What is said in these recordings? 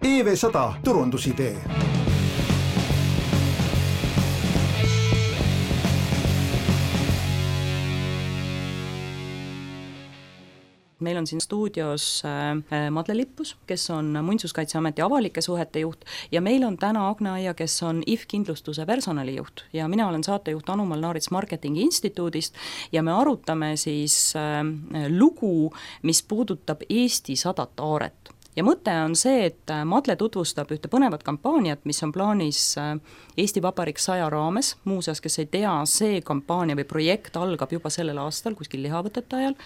EV100 turundusidee. Meil on siin stuudios Madle Lippus, kes on Muinsuskaitseameti avalike suhete juht ja meil on täna Agne Aia, kes on IF Kindlustuse personalijuht ja mina olen saatejuht Anu Malnaarits Marketingi Instituudist ja me arutame siis lugu, mis puudutab Eesti 100 aaret. Ja mõte on see, et Madle tutvustab ühte põnevat kampaaniat, mis on plaanis Eesti Vabariik 100 raames. Muuseas, kes ei tea, see kampaania või projekt algab juba sellel aastal kuskil lihavõtete ajal.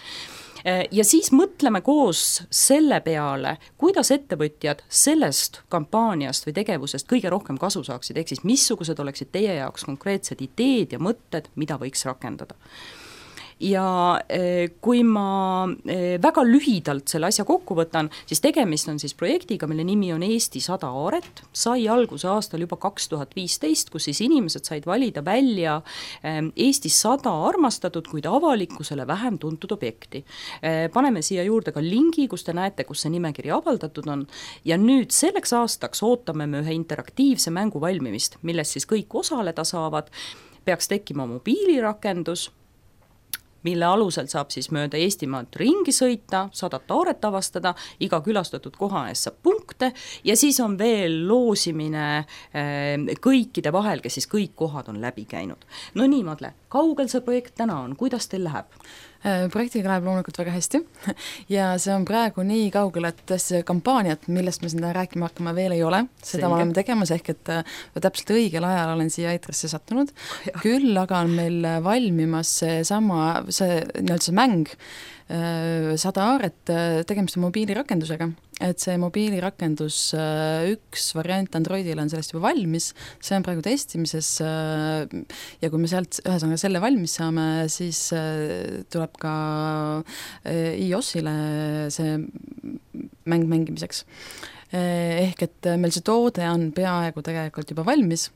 Ja siis mõtleme koos selle peale, kuidas ettevõtjad sellest kampaaniast või tegevusest kõige rohkem kasu saaksid, ehk siis missugused oleksid teie jaoks konkreetsed ideed ja mõtted, mida võiks rakendada. Ja kui ma väga lühidalt selle asja kokku võtan, siis tegemist on siis projektiga, mille nimi on Eesti 100 aaret, sai alguse aastal juba 2015, kus siis inimesed said valida välja Eestis 100 armastatud, kuid avalikkusele vähem tuntud objekti. Paneme siia juurde ka lingi, kus te näete, kus see nimekiri avaldatud on ja nüüd selleks aastaks ootame me ühe interaktiivse mängu valmimist, milles siis kõik osaleda saavad, peaks tekkima mobiilirakendus, mille alusel saab siis mööda Eestimaad ringi sõita, 100 aaret avastada, iga külastatud koha ees saab punkte ja siis on veel loosimine kõikide vahel, kes siis kõik kohad on läbi käinud. No nii, Madle, kaugel see projekt täna on, kuidas teil läheb? Projektiga läheb loomulikult väga hästi ja see on praegu nii kaugel, et see kampaaniat, millest me seda rääkima hakkama veel ei ole, seda me oleme tegemas, ehk et täpselt õigel ajal olen siia Aitrasse sattunud, küll aga on meil valmimas see mäng 100 aaret, tegemist on mobiilirakendusega, et see mobiilirakendus üks variant Androidile on sellest juba valmis, see on praegu testimises ja kui me sealt ühesõnaga selle valmis saame, siis tuleb ka iOS-ile see mäng mängimiseks. Ehk et meil see toode on peaaegu tegelikult juba valmis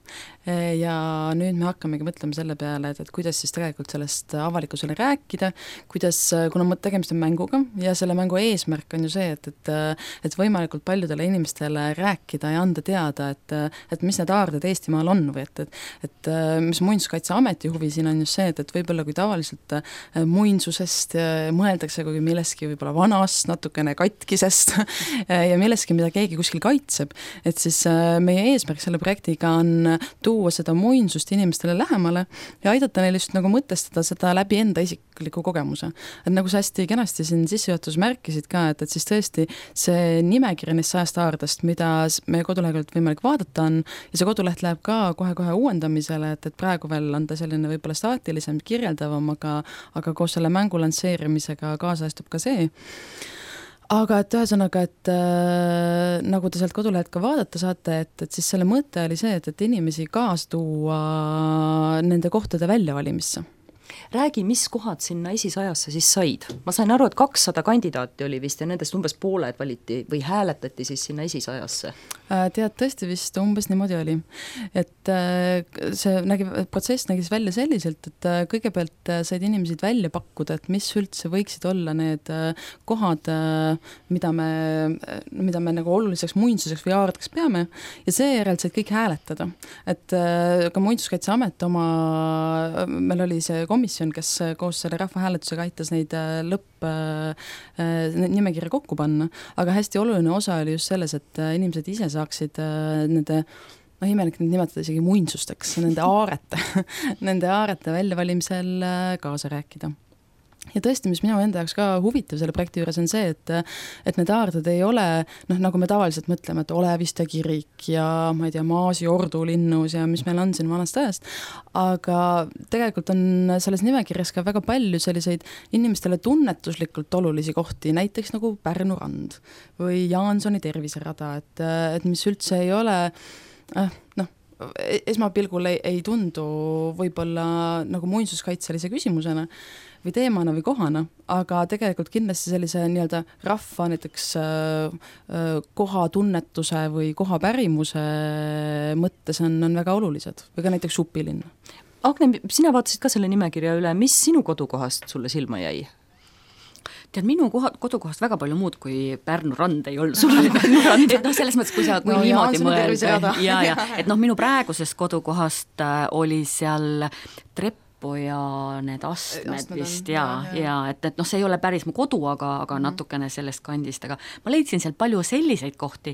ja nüüd me hakkamegi mõtlema selle peale, et kuidas siis tegelikult sellest avalikkusele rääkida, kuidas, kuna tegemist on mänguga ja selle mängu eesmärk on ju see, et võimalikult paljudele inimestele rääkida ja anda teada, et mis need aarded Eestimaal on või et mis Muinsuskaitseameti huvi siin on just see, et võib-olla kui tavaliselt muinsusest mõeldakse kui milleski võib-olla vanast, natukene katkisest ja milleski, mida keegi kuskil kaitseb, et siis meie eesmärk selle projektiga on tuua seda muinsust inimestele lähemale ja aidata neil just nagu mõtestada seda läbi enda isikliku kogemuse. Et nagu sa hästi kenasti siin sissejuhatus märkisid ka, et siis tõesti see nimekiri neist 100 aardest, mida meie kodulehelt võimalik vaadata on ja see koduleht läheb ka kohe uuendamisele, et praegu veel on ta selline võib-olla staatilisem, kirjeldavam, aga koos selle mängu lansseerimisega kaasajastub ka see. Aga et ühesõnaga, et nagu te sealt kodulehed ka vaadata saate, et siis selle mõte oli see, et inimesi kaasa tuua nende kohtade väljavalimisse. Räägi, mis kohad sinna esisajasse siis said? Ma sain aru, et 200 kandidaati oli vist ja nendest umbes pooled valiti või hääletati siis sinna esisajasse? Tead, tõesti vist umbes niimoodi oli. Et see protsess nägis välja selliselt, et kõigepealt said inimesed välja pakkuda, et mis üldse võiksid olla need kohad, mida me nagu oluliseks muinsuseks või aardeks peame ja seejärel said kõik hääletada. Et ka Muinsuskaitseamet meil oli see komisjon, kes koos selle rahvahääletusega aitas neid nimekirja kokku panna, aga hästi oluline osa oli just selles, et inimesed ise saaksid nende, imelik nüüd nimetada isegi muinsusteks, nende aarete väljavalimisel kaasa rääkida. Ja tõesti, mis minu enda jaoks ka huvitav selle projekti juures on see, et need aarded ei ole, nagu me tavaliselt mõtleme, et Oleviste kirik ja ma ei tea, Maasi ordulinnus ja mis meil on siin vanast ajast, aga tegelikult on selles nimekirjas ka väga palju selliseid inimestele tunnetuslikult olulisi kohti, näiteks nagu Pärnu rand või Jaansoni terviserada, et mis üldse ei ole, esmapilgul ei tundu võib-olla nagu muinsuskaitselise küsimusena või teemana või kohana, aga tegelikult kindlasti sellise nii-öelda rahva näiteks kohatunnetuse või kohapärimuse mõttes on väga olulised või ka näiteks Supilinn. Agne, sina vaatasid ka selle nimekirja üle, mis sinu kodukohast sulle silma jäi? tead, minu kodukohast väga palju muud kui Pärnu rand ei olnud sul. Et selles mõttes, kui niimoodi mõelda. Et minu praegusest kodukohast oli seal Treppo ja need astmed vist et see ei ole päris mu kodu, aga natukene sellest kandist, aga ma leidsin seal palju selliseid kohti,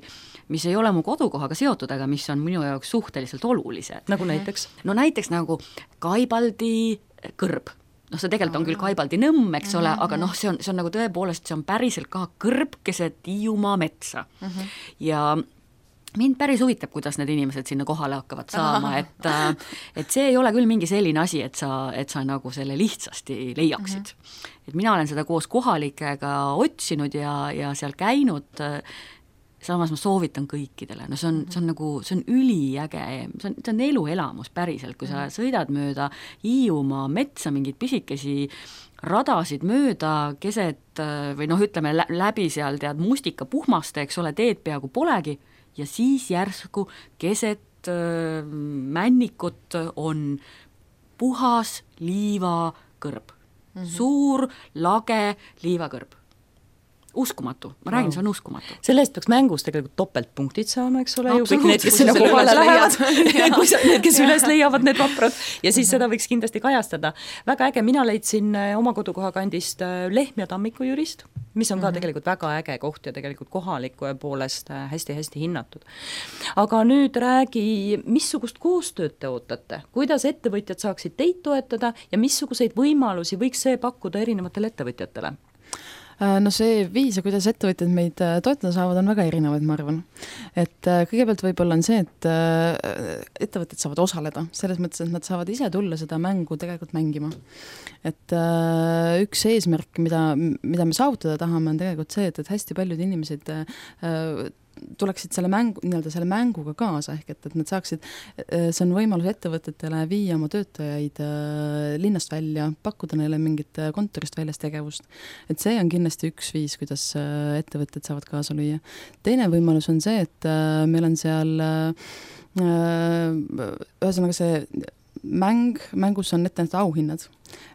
mis ei ole mu kodukohaga seotud, aga mis on minu jaoks suhteliselt olulised. Nagu näiteks? No näiteks nagu Kaibaldi kõrb. See tegelikult on küll Kaibaldi nõmm, eks ole, aga see on nagu tõepoolest, see on päriselt ka kõrb keset Hiiumaa metsa. Ja mind päris huvitab, kuidas need inimesed sinna kohale hakkavad saama, et see ei ole küll mingi selline asi, et sa nagu selle lihtsasti leiaksid. Et mina olen seda koos kohalikega otsinud ja seal käinud, samas ma soovitan kõikidele, see on üliäge, see on eluelamus päriselt, kui sa sõidad mööda Hiiumaa metsa mingid pisikesi radasid mööda keset või ütleme läbi seal tead mustika puhmaste, eks ole, teed peaaegu polegi ja siis järsku keset männikut on puhas liivakõrb, suur lage liivakõrb. Uskumatu, ma räägin, see on uskumatu. Selle eest peaks mängus tegelikult topeltpunktid saama, eks ole, ju kõik need, kes sinna kohale lähevad, kes üles leiavad need vaprad ja siis seda võiks kindlasti kajastada. Väga äge, mina leidsin oma kodukoha kandist Lehtme Tammiku jurist, mis on ka tegelikult väga äge koht ja tegelikult kohaliku poolest hästi-hästi hinnatud. Aga nüüd räägi, missugust koostööd te ootate, kuidas ettevõtjad saaksid teid toetada ja missuguseid võimalusi võiks see pakkuda erinevatele ettevõtjatele? See viis, kuidas ettevõtjad meid toetada saavad, on väga erinevaid, ma arvan. Et kõigepealt võib-olla on see, et ettevõtted saavad osaleda, selles mõttes, et nad saavad ise tulla seda mängu tegelikult mängima. Et üks eesmärk, mida me saavutada tahame, on tegelikult see, et hästi paljud inimesed tuleksid selle mänguga kaasa, ehk et nad saaksid, see on võimalus ettevõtetele viia oma töötajaid linnast välja, pakkuda neile mingit kontorist väljas tegevust. Et see on kindlasti üks viis, kuidas ettevõtted saavad kaasa lüüa. Teine võimalus on see, et meil on seal ühesõnaga see mängus on ette auhinnad.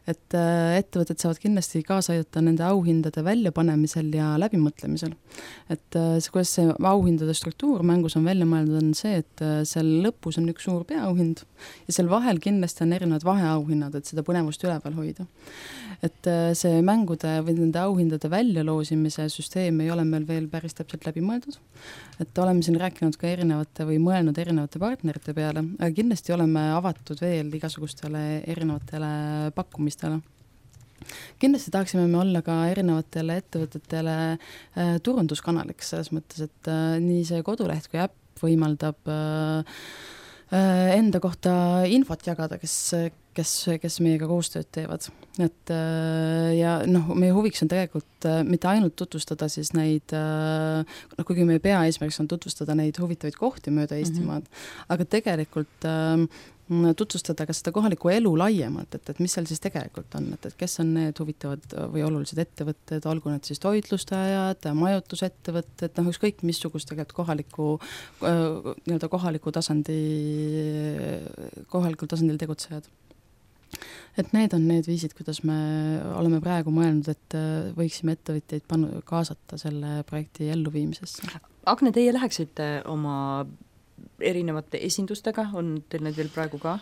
Et ettevõtted saavad kindlasti kaasa aidata nende auhindade väljapanemisel ja läbimõtlemisel. Et kuidas see auhindade struktuur mängus on välja mõeldud, on see, et seal lõpus on üks suur peaauhind ja seal vahel kindlasti on erinevad vaheauhinnad, et seda põnevust üleval hoida. Et see mängude või nende auhindade väljaloosimise süsteem ei ole meil veel päris täpselt läbi mõeldud. Et oleme siin rääkinud ka mõelnud erinevate partnerite peale, aga kindlasti oleme avatud veel igasugustele erinevatele pakkumistele. Kindlasti tahaksime me olla ka erinevatele ettevõtetele turunduskanaliks selles mõttes, et nii see koduleht kui äpp võimaldab enda kohta infot jagada, kes meiega koostööd teevad. Et ja meie huviks on tegelikult mitte ainult tutvustada siis neid, kuigi meie peaeesmärks on tutvustada neid huvitavaid kohti mööda Eestimaad, aga tegelikult tutvustada ka seda kohalikku elu laiemalt, et mis seal siis tegelikult on, et kes on need huvitavad või olulised ettevõtted, olgu need siis toitlustajad, majutusettevõtted, ükskõik missugust tegelikult kohalikul tasandil tegutsejad. Et need on need viisid, kuidas me oleme praegu mõelnud, et võiksime ettevõtjaid kaasata selle projekti elluviimisesse. Agne, teie läheksite oma erinevate esindustega, on teil need veel praegu ka?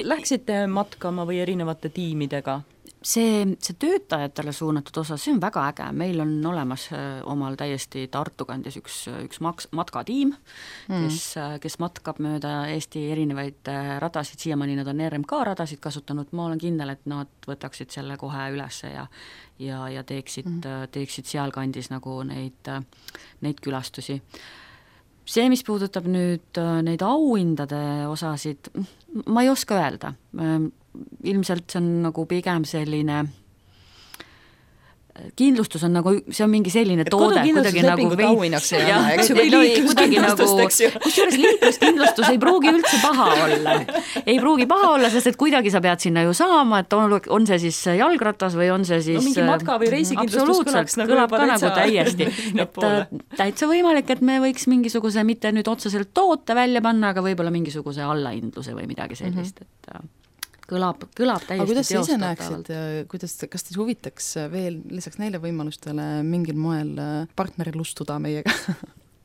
Läheksite matkama või erinevate tiimidega? See töötajatele suunatud osa, see on väga äge, meil on olemas omal täiesti Tartu kandis üks matkatiim, kes matkab mööda Eesti erinevaid radasid, siiamaani nad on RMK radasid kasutanud, ma olen kindel, et nad võtaksid selle kohe üles ja teeksid sealkandis nagu neid külastusi. See, mis puudutab nüüd neid auhindade osasid, ma ei oska öelda. Ilmselt see on nagu pigem selline kindlustus on nagu, see on mingi selline toode kuidagi nagu kusjuures liikluskindlustus ei pruugi üldse paha olla, sest et kuidagi sa pead sinna ju saama, et on see siis jalgratas või on see siis mingi matka või reisikindlustus kõlab ka nagu täiesti et täitsa võimalik, et me võiks mingisuguse mitte nüüd otseselt toote välja panna, aga võib-olla mingisuguse allahindluse või midagi sellist, et kõlab aga täiesti kuidas sa ise teostatavalt. näeksid, kas teid huvitaks veel lisaks neile võimalustele mingil moel partnerilustuda meiega?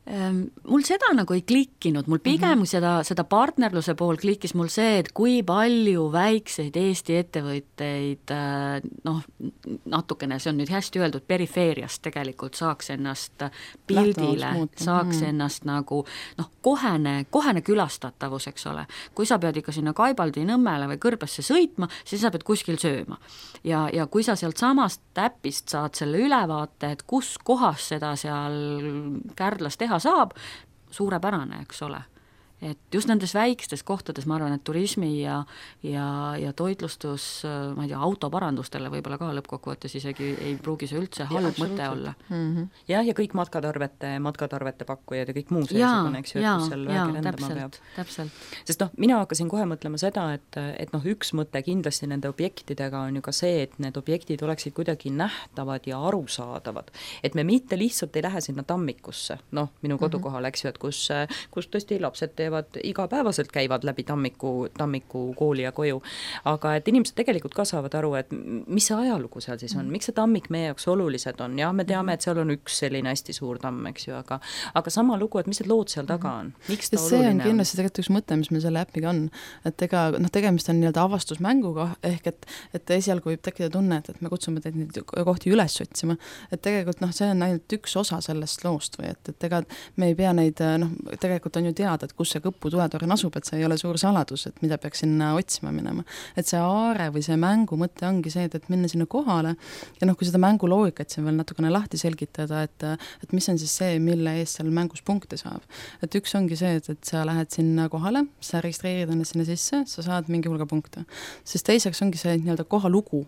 Mul seda nagu ei klikkinud, mul pigem seda partnerluse pool klikkis mul see, et kui palju väikseid Eesti ettevõtteid, natukene, see on nüüd hästi öeldud, perifeeriast tegelikult saaks ennast pildile, saaks ennast nagu kohene külastatavus, eks ole. Kui sa pead ikka sinna Kaibaldi Nõmmele või Kõrbesse sõitma, siis sa pead kuskil sööma. Ja kui sa sealt samast täpist saad selle ülevaate, et kus kohas seda seal Kärdlas teha saab, suurepärane, eks ole. Et just nendes väikstes kohtades ma arvan, et turismi ja toitlustus, ma ei tea, autoparandustele võib-olla ka lõppkokkuvõttes isegi ei pruugi see üldse halb mõte olla. Ja kõik matkatarvete pakkujad ja kõik muu seesugune, eks ju, et kus seal väike rändama peab. Täpselt. Sest mina hakkasin kohe mõtlema seda, et üks mõte kindlasti nende objektidega on ju ka see, et need objektid oleksid kuidagi nähtavad ja arusaadavad. Et me mitte lihtsalt ei lähe sinna tammikusse, minu kodukohal, eks ju, et kus tõesti lapsed teevad igapäevaselt, käivad läbi tammiku kooli ja koju, aga et inimesed tegelikult ka saavad aru, et mis see ajalugu seal siis on, miks see tammik meie jaoks olulised on, jah, me teame, et seal on üks selline hästi suur tamm, eks ju, aga sama lugu, et mis need lood seal taga on, miks ta oluline on. See on kindlasti tegelikult üks mõte, mis meil selle äpiga on, et tegemist on nii-öelda avastusmänguga, ehk et esialgu võib tekkida tunne, et me kutsume teid neid kohti üles otsima, et tegelikult see on ainult üks osa sellest loost või et ega me ei pea neid, tegelikult on ju teada, et kus see Kõpu tuletorn asub, et see ei ole suur saladus, et mida peaks sinna otsima minema. Et see aare või see mängu mõte ongi see, et minna sinna kohale ja kui seda mängu loogikat siin veel natukene lahti selgitada, et mis on siis see, mille eest seal mängus punkte saab. Et üks ongi see, et sa lähed sinna kohale, sa registreerid ennast sinna sisse, sa saad mingi hulga punkte. Siis teiseks ongi see nii-öelda kohalugu,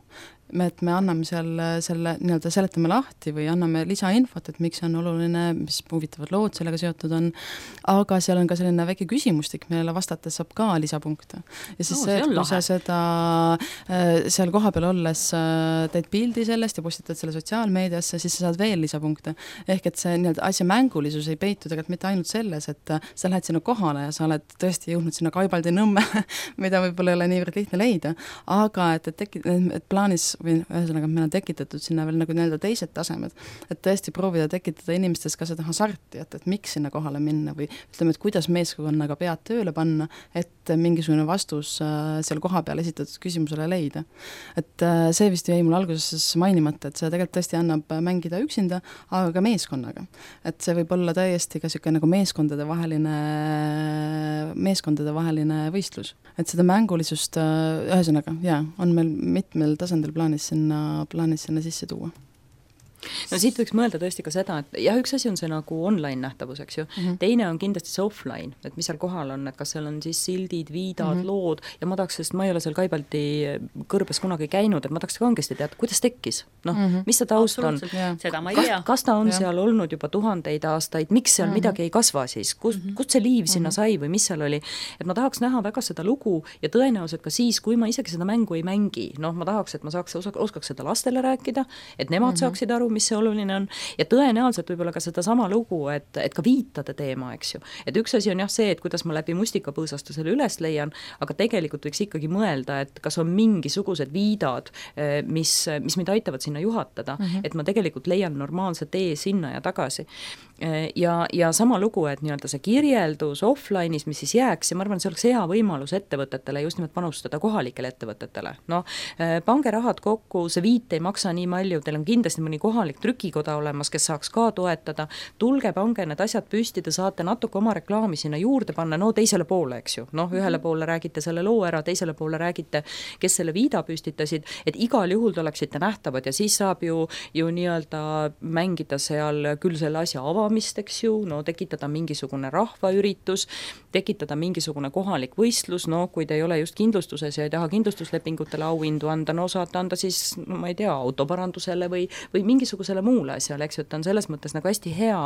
et me anname selle nii-öelda seletame lahti või anname lisainfot, et miks see on oluline, mis huvitavad lood sellega seotud on, aga seal on ka selline väike küsimustik, millele vastates saab ka lisapunkte. Ja siis see, et kui sa seda seal koha peal olles teed pildi sellest ja postitad selle sotsiaalmeediasse, siis sa saad veel lisapunkte. Ehk et see nii-öelda asja mängulisus ei peitu tegelikult mitte ainult selles, et sa lähed sinna kohale ja sa oled tõesti jõudnud sinna Kaibaldi Nõmme, mida võib-olla ei ole niivõrd lihtne leida, aga et plaanis või ühesõnaga meil on tekitatud sinna veel nagu nii-öelda teised tasemed, et tõesti proovida tekitada inimestes ka seda hasarti, et miks sinna kohale minna või ütleme, et kuidas meeskonnaga pead tööle panna, et mingisugune vastus seal koha peal esitatud küsimusele leida. Et see vist jäi mul alguses mainimata, et see tegelikult tõesti annab mängida üksinda, aga ka meeskonnaga. Et see võib olla täiesti ka siuke nagu meeskondade vaheline võistlus. Et seda mängulisust ühesõnaga, on meil mitmel tasandil plaanis sinna sisse tuua. No siit võiks mõelda tõesti ka seda, et jah, üks asi on see nagu online nähtavus, eks ju. Teine on kindlasti see offline, et mis seal kohal on, et kas seal on siis sildid, viidad, lood ja ma tahaks, sest ma ei ole seal Kaibaldi Kõrbes kunagi käinud, et ma tahaks kangesti teada, kuidas tekkis. Mis see taust on? Seda ma ei tea. Kas ta on seal olnud juba tuhandeid aastaid, miks seal midagi ei kasva siis? Kust see liiv sinna sai või mis seal oli? Et ma tahaks näha väga seda lugu ja tõenäoliselt ka siis, kui ma isegi seda mängu ei mängi, ma tahaks, et ma oskaks seda lastele rääkida, et nemad saaksid aru, mis see oluline on ja tõenäoliselt võib-olla ka seda sama lugu, et ka viitade teema, eks ju. Et üks asi on jah see, et kuidas ma läbi mustikapõõsastusele üles leian, aga tegelikult võiks ikkagi mõelda, et kas on mingisugused viidad, mis mind aitavad sinna juhatada, et ma tegelikult leian normaalse tee sinna ja tagasi. Ja sama lugu, et nii-öelda see kirjeldus offline'is, mis siis jääks ja ma arvan, see oleks hea võimalus ettevõtetele just nimelt panustada kohalikele ettevõtetele. Pange rahad kokku, see viit ei maksa nii palju, teil on kindlasti mõni kohalik trükikoda olemas, kes saaks ka toetada, tulge, pange need asjad püsti, te saate natuke oma reklaami sinna juurde panna, teisele poole, eks ju, ühele poole räägite selle loo ära, teisele poole räägite, kes selle viida püstitasid, et igal juhul te oleksite nähtavad ja siis saab ju nii-öelda mängida seal küll selle asja avamist, eks ju, tekitada mingisugune rahvaüritus, tekitada mingisugune kohalik võistlus, kui te ei ole just kindlustuses ja ei taha kindlustuslepingutele auhindu anda, saate anda siis, ma ei tea, autoparandusele või mingisugusele muule asjale, eks ju, et on selles mõttes nagu hästi hea,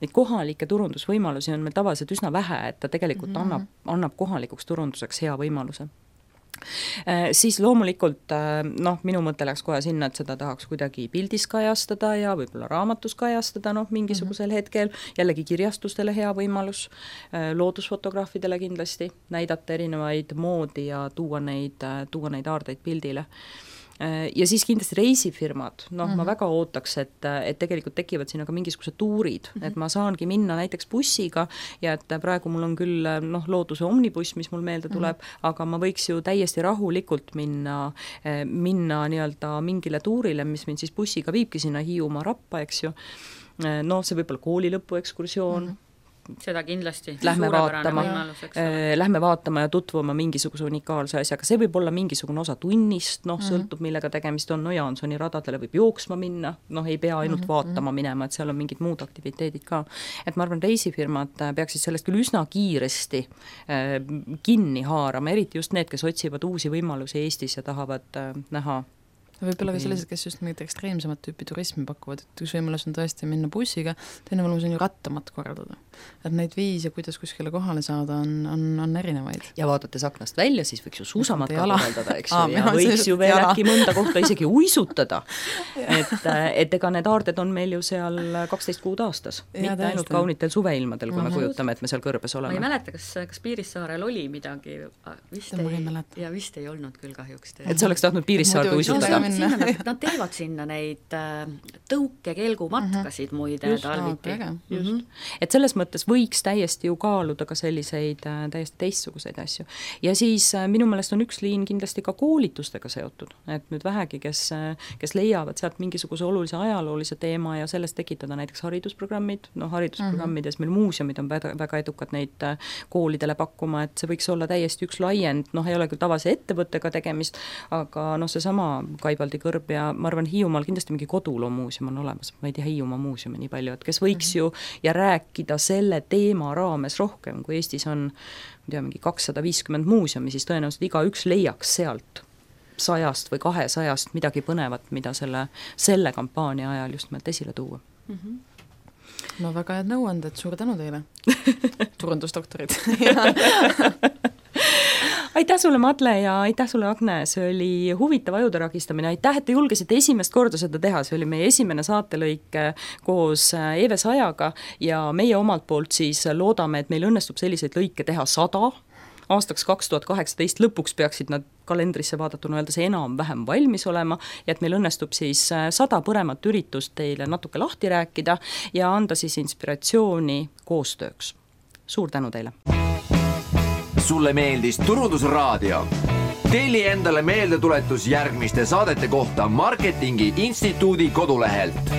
et kohalikke turundusvõimalusi on meil tavaliselt üsna vähe, et ta tegelikult annab kohalikuks turunduseks hea võimaluse. Siis loomulikult minu mõte läks kohe sinna, et seda tahaks kuidagi pildis kajastada ja võib-olla raamatus kajastada mingisugusel hetkel, jällegi kirjastustele hea võimalus, loodusfotograafidele kindlasti, näidata erinevaid moodi ja tuua neid aardeid pildile. Ja siis kindlasti reisifirmad, ma väga ootaks, et tegelikult tekivad siin aga mingisugused tuurid, et ma saangi minna näiteks bussiga ja et praegu mul on küll looduse omnibuss, mis mul meelde tuleb, aga ma võiks ju täiesti rahulikult minna nii-öelda mingile tuurile, mis mind siis bussiga viibki sinna Hiiumaa Rappa, eks ju. See võib olla kooli lõpuekskursioon, seda kindlasti. Lähme vaatama ja tutvuma mingisuguse unikaalse asjaga. See võib olla mingisugune osa tunnist, sõltub millega tegemist on, Jaansoni radadele võib jooksma minna, ei pea ainult vaatama minema, et seal on mingid muud aktiviteedid ka. Et ma arvan, reisifirmad peaksid sellest küll üsna kiiresti kinni haarama, eriti just need, kes otsivad uusi võimalusi Eestis ja tahavad näha. Võib-olla ka sellised, kes just mingit ekstreemsemat tüüpi turismi pakuvad, et üks võimalus on tõesti minna bussiga, teine võimalus on ju rattamat korraldada. Et neid viise, kuidas kuskile kohale saada, on erinevaid. Ja vaadates aknast välja, siis võiks ju suusamatka korraldada, eks ju, ja võiks ju veel äkki mõnda kohta isegi uisutada. Et ega need aarded on meil ju seal 12 kuud aastas, mitte ainult kaunitel suveilmadel, kui me kujutame, et me seal kõrbes oleme. Ma ei mäleta, kas Piirissaarel oli midagi, vist ei olnud küll kahjuks. Et sa oleks tahtnud Piirissaarde uisutada. Nad teevad sinna neid tõukekelgumatkasid muide talviti. Et selles mõttes võiks täiesti ju kaaluda ka selliseid täiesti teistsuguseid asju. Ja siis minu meelest on üks liin kindlasti ka koolitustega seotud, et nüüd vähegi, kes leiavad sealt mingisuguse olulise ajaloolise teema ja sellest tekitada näiteks haridusprogrammid, haridusprogrammides meil muuseumid on väga edukad neid koolidele pakkuma, et see võiks olla täiesti üks laiend, ei ole küll tavalise ettevõttega tegemist, aga seesama Kaibaldi kõrb ja ma arvan, Hiiumaal kindlasti mingi koduloo muuseum on olemas, ma ei tea Hiiumaa muuseumi nii palju, et kes võiks ju ja rääkida selle teema raames rohkem, kui Eestis on mingi 250 muuseumi, siis tõenäoliselt igaüks leiaks sealt 100 või 200 midagi põnevat, mida selle kampaania ajal just meelt esile tuua. No väga head nõuanded, suur tänu teile, turundusdoktorid. Aitäh sulle, Madle, ja aitäh sulle, Agne, see oli huvitav ajude ragistamine, aitäh, et te julgesite esimest korda seda teha, see oli meie esimene saatelõik koos Eve Sajaga ja meie omalt poolt siis loodame, et meil õnnestub selliseid lõike teha 100, aastaks 2018 lõpuks peaksid nad kalendrisse vaadatuna öelda see enam-vähem valmis olema ja et meil õnnestub siis 100 põremat üritust teile natuke lahti rääkida ja anda siis inspiratsiooni koostööks. Suur tänu teile! Sulle meeldis Turundusraadio? Telli endale meeldetuletus järgmiste saadete kohta Marketingi Instituudi kodulehelt.